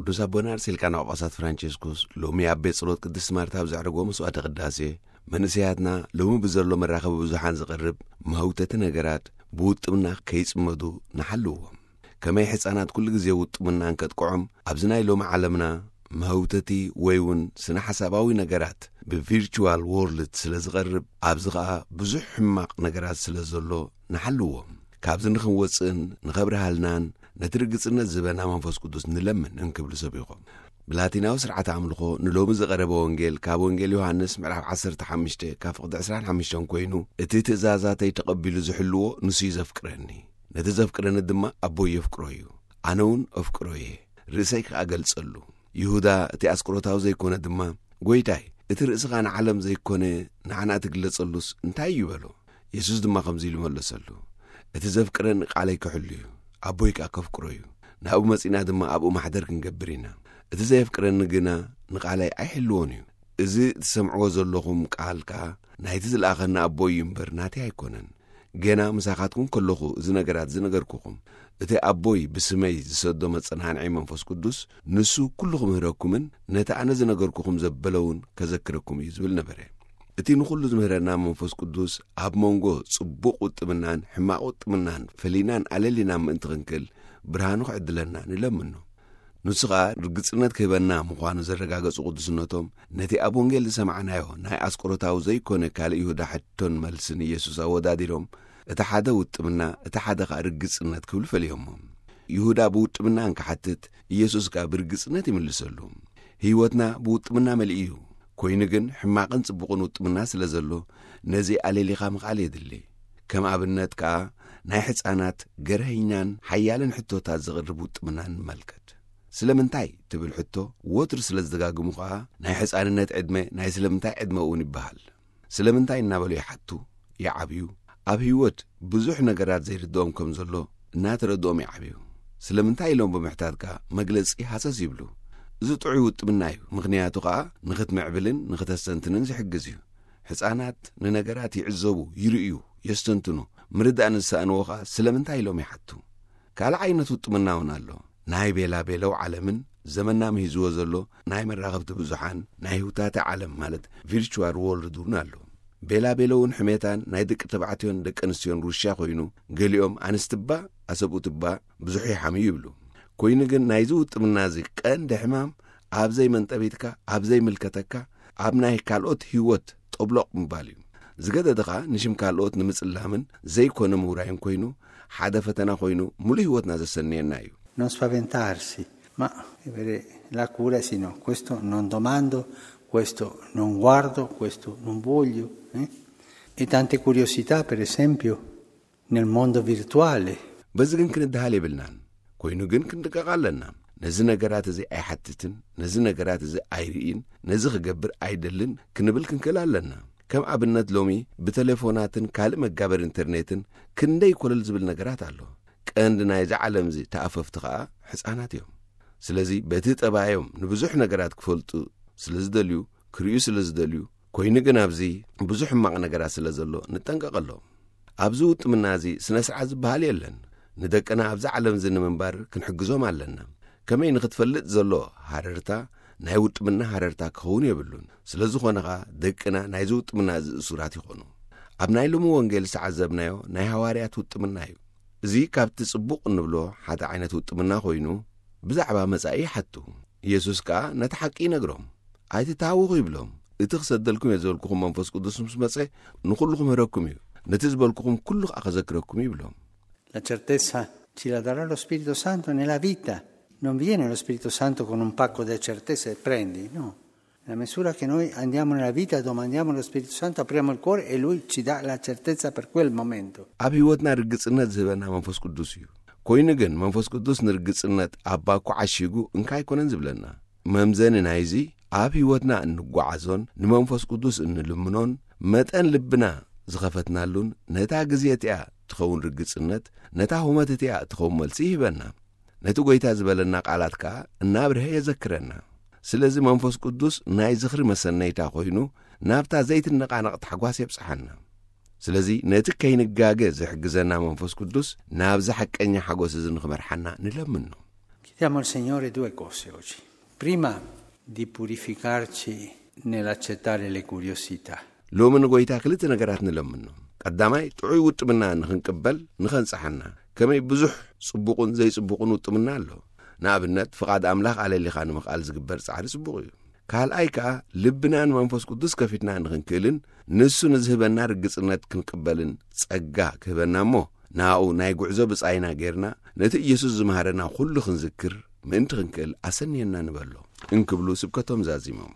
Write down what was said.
ቅዱስ ኣቦና ኣርሴልካ ናብ ጳጳሳት ፍራንቸስኮስ ሎሚ ኣብ ቤት ጸሎት ቅድስት ማርታ ኣብ ዘዕረጎ መስዋዕተ ቅዳሴ፣ መንእሰያትና ሎሚ ብዘሎ መራኸቢ ብዙሓን ዝቐርብ መህውተቲ ነገራት ብውጥምና ከይጽመዱ ንሓልዎም። ከመይ ሕጻናት ኩሉ ግዜ ውጥምና እንከጥቅዖም፣ ኣብዚ ናይ ሎሚ ዓለምና መህውተቲ ወይ እውን ስነ ሓሳባዊ ነገራት ብቪርቹዋል ዎርልድ ስለ ዝቐርብ፣ ኣብዚ ኸኣ ብዙሕ ሕማቕ ነገራት ስለ ዘሎ ንሓልዎም። ካብዚ ንኽንወጽእን ንኸብርሃልናን ነቲ ርግጽነት ዝህበና መንፈስ ቅዱስ ንለምን እንክብሉ ሰቢኾም። ብላቲናዊ ስርዓተ ኣምልኾ ንሎሚ ዝቐረበ ወንጌል ካብ ወንጌል ዮሃንስ ምዕራፍ ዓሰርተ ሓሙሽተ ካብ ፍቕዲ ዕስራን ሓሙሽተን ኮይኑ፣ እቲ ትእዛዛተይ ተቐቢሉ ዝሕልዎ ንሱ እዩ ዘፍቅረኒ። ነቲ ዘፍቅረኒ ድማ ኣቦይ የፍቅሮ እዩ። ኣነ እውን ኣፍቅሮ እየ፣ ርእሰይ ከኣ ገልጸሉ። ይሁዳ እቲ ኣስቆሮታዊ ዘይኮነ ድማ፣ "ጐይታይ፣ እቲ ርእስኻ ንዓለም ዘይኮነ ንዓና ትግለጸሉስ እንታይ እዩ?" በሎ። የሱስ ድማ ከምዚ ኢሉ መለሰሉ፣ "እቲ ዘፍቅረኒ ቃለይ ክሕሉ እዩ፣ ኣቦይ ከኣ ከፍቅሮ እዩ። ናብኡ መጺእና ድማ ኣብኡ ማሕደር ክንገብር ኢና። እቲ ዘየፍቅረኒ ግና ንቓለይ ኣይሕልዎን እዩ። እዚ እትሰምዕዎ ዘለኹም ቃል ከኣ ናይቲ ዝለኣኸኒ ኣቦይ እዩ እምበር ናተይ ኣይኮነን። ገና ምሳኻትኩም ከለኹ እዚ ነገራት ዝነገርኩኹም፣ እቲ ኣቦይ ብስመይ ዝሰዶ መጸናንዒ መንፈስ ቅዱስ፣ ንሱ ኩሉ ክምህረኩምን ነቲ ኣነ ዝነገርኩኹም ዘበለ እውን ከዘክረኩም እዩ" ዝብል ነበረ። እቲ ንኹሉ ዝምህረና መንፈስ ቅዱስ ኣብ መንጎ ጽቡቕ ውጥምናን ሕማቕ ውጥምናን ፈሊናን ኣለሊናን ምእንቲ ክንክል ብርሃኑ ክዕድለና ንለምኖ። ንሱ ኸኣ ርግጽነት ክህበና ምዃኑ ዘረጋገጹ ቅዱስነቶም፣ ነቲ ኣብ ወንጌል ዝሰማዕናዮ ናይ ኣስቆሮታዊ ዘይኮነ ካልእ ይሁዳ ሕቶን መልስን ኢየሱስ ኣወዳዲሮም፣ እቲ ሓደ ውጥምና፣ እቲ ሓደ ኸኣ ርግጽነት ክብሉ ፈሊዮሞ። ይሁዳ ብውጥምና እንክሓትት፣ ኢየሱስ ከኣ ብርግጽነት ይምልሰሉ። ህይወትና ብውጥምና መሊኡ እዩ። ኮይኑ ግን ሕማቕን ጽቡቕን ውጥምና ስለ ዘሎ፣ ነዚ ኣለሊኻ ምኽኣል የድሊ። ከም ኣብነት ከኣ ናይ ሕጻናት ገርሀኛን ሓያልን ሕቶታት ዘቕርብ ውጥምና ንመልከት። "ስለምንታይ?" ትብል ሕቶ ወትሩ ስለ ዝደጋግሙ ከኣ ናይ ሕጻንነት ዕድመ ናይ ስለምንታይ ዕድመ እውን ይበሃል። ስለምንታይ እናበሉ ይሓቱ፣ ይዓብዩ። ኣብ ህይወት ብዙሕ ነገራት ዘይርድኦም ከም ዘሎ እናተረድኦም ይዓብዩ። ስለምንታይ ኢሎም ብምሕታት ከኣ መግለጺ ሃሰስ ይብሉ። እዚ ጥዑይ ውጥምና እዩ፣ ምኽንያቱ ከኣ ንኽትምዕብልን ንኽተስተንትንን ዝሕግዝ እዩ። ሕጻናት ንነገራት ይዕዘቡ፣ ይርእዩ፣ የስተንትኑ። ምርዳእ ንዝሰኣንዎ ከኣ ስለምንታይ ኢሎም ይሓቱ። ካልእ ዓይነት ውጥምና እውን ኣሎ። ናይ ቤላ ቤለው ዓለምን ዘመንና ምሂዝዎ ዘሎ ናይ መራኸብቲ ብዙሓን ናይ ህውታተ ዓለም ማለት ቪርቹዋል ዎርልድ እውን ኣሎ። ቤላ ቤለውን ሕሜታን ናይ ደቂ ተባዕትዮን ደቂ ኣንስትዮን ሩሽያ ኮይኑ፣ ገሊኦም ኣንስቲ እባ ኣሰብኡት እባ ብዙሕ ይሓምዩ ይብሉ። ኮይኑ ግን ናይዚ ውጥምና እዚ ቀንዲ ሕማም ኣብ ዘይመንጠቢትካ፣ ኣብ ዘይምልከተካ፣ ኣብ ናይ ካልኦት ህይወት ጠብሎቕ ምባል እዩ። ዝገደደ ኸኣ ንሽም ካልኦት ንምጽላምን ዘይኮነ ምውራይን ኮይኑ፣ ሓደ ፈተና ኮይኑ ሙሉእ ህይወትና ዘሰንየና እዩ። Non spaventarsi, ma avere la cura, sì, no, questo non domando, questo non guardo, questo non voglio, eh? E tante curiosità, per esempio, nel mondo virtuale. በዚ ግን ክንድሃል የብልናን። ኮይኑ ግን ክንድቀቕ ኣለና። ነዚ ነገራት እዚ ኣይሓትትን፣ ነዚ ነገራት እዚ ኣይርእን፣ ነዚ ክገብር ኣይደልን ክንብል ክንክእል ኣለና። ከም ኣብነት ሎሚ ብቴሌፎናትን ካልእ መጋበር ኢንተርኔትን ክንደይ ኮለል ዝብል ነገራት ኣሎ። ቀንዲ ናይዚ ዓለም እዚ ተኣፈፍቲ ኸኣ ሕጻናት እዮም። ስለዚ በቲ ጠባዮም ንብዙሕ ነገራት ክፈልጡ ስለ ዝደልዩ፣ ክርእዩ ስለ ዝደልዩ፣ ኮይኑ ግን ኣብዚ ብዙሕ ሕማቕ ነገራት ስለ ዘሎ ንጠንቀቐሎም። ኣብዚ ውጥምና እዚ ስነ ስርዓት ዝበሃል የለን። ንደቅና ኣብዚ ዓለም እዚ ንምንባር ክንሕግዞም ኣለና። ከመይ ንኽትፈልጥ ዘሎ ሃረርታ ናይ ውጥምና ሃረርታ ክኸውን የብሉን። ስለ ዝኾነ ኸኣ ደቅና ናይዚ ውጥምና እዚ እሱራት ይኾኑ። ኣብ ናይ ሎሚ ወንጌል ዝተዓዘብናዮ ናይ ሃዋርያት ውጥምና እዩ። እዚ ካብቲ ጽቡቕ እንብሎ ሓደ ዓይነት ውጥምና ኮይኑ ብዛዕባ መጻኢ ይሓቱ። ኢየሱስ ከኣ ነቲ ሓቂ ይነግሮም። "ኣይትተሃወኹ" ይብሎም። "እቲ ክሰደልኩም እየ ዝበልኩኹም መንፈስ ቅዱስ ምስ መጸ ንኹሉ ክምህረኩም እዩ። ነቲ ዝበልኩኹም ኩሉ ከኣ ከዘክረኩም እዩ" ይብሎም። La certezza ci la darà lo Spirito Santo nella vita. Non viene lo Spirito Santo con un pacco di certezze e prendi, no. Nella misura che noi andiamo nella vita, domandiamo allo Spirito Santo, apriamo il cuore e lui ci dà la certezza per quel momento. ኣብ ህይወትና ርግጽነት ዝህበና መንፈስ ቅዱስ እዩ። ኮይኑ ግን መንፈስ ቅዱስ ንርግጽነት ኣብ ባኮ ዓሺጉ እንካ ኣይኮነን ዝብለና። መምዘኒ ናይዚ ኣብ ህይወትና እንጓዓዞን ንመንፈስ ቅዱስ እንልምኖን መጠን ልብና ዝኸፈትናሉን ነታ ግዜ እቲኣ ትኸውን ርግጽነት፣ ነታ ሁመት እቲኣ ትኸውን መልሲ ይህበና። ነቲ ጐይታ ዝበለና ቃላት ከኣ እናብርሀ የዘክረና። ስለዚ መንፈስ ቅዱስ ናይ ዝኽሪ መሰነይታ ኮይኑ ናብታ ዘይትነቓነቕ ታሕጓስ የብጽሓና። ስለዚ ነቲ ከይንጋገ ዝሕግዘና መንፈስ ቅዱስ ናብዚ ሓቀኛ ሓጎስ እዚ ንኽመርሓና ንለምኖ። Che Chiediamo al Signore due cose oggi. Prima di purificarci nell'accettare le curiosità. ሎሚ ንጎይታ ክልተ ነገራት ንለምኖ። ቀዳማይ ጥዑይ ውጥምና ንኽንቅበል ንኸንጽሓና። ከመይ ብዙሕ ጽቡቕን ዘይጽቡቕን ውጥምና ኣሎ። ንኣብነት ፍቓድ ኣምላኽ ኣለሊኻ ንምኽኣል ዝግበር ጻዕሪ ጽቡቕ እዩ። ካልኣይ ከኣ ልብና ንመንፈስ ቅዱስ ከፊትና ንኽንክእልን ንሱ ንዝህበና ርግጽነት ክንቅበልን ጸጋ ክህበና እሞ ናኡ ናይ ጉዕዞ ብጻይና ጌርና ነቲ ኢየሱስ ዝመሃረና ኩሉ ክንዝክር ምእንቲ ክንክእል ኣሰንየና ንበሎ እንክብሉ ስብከቶም ዛዚሞም።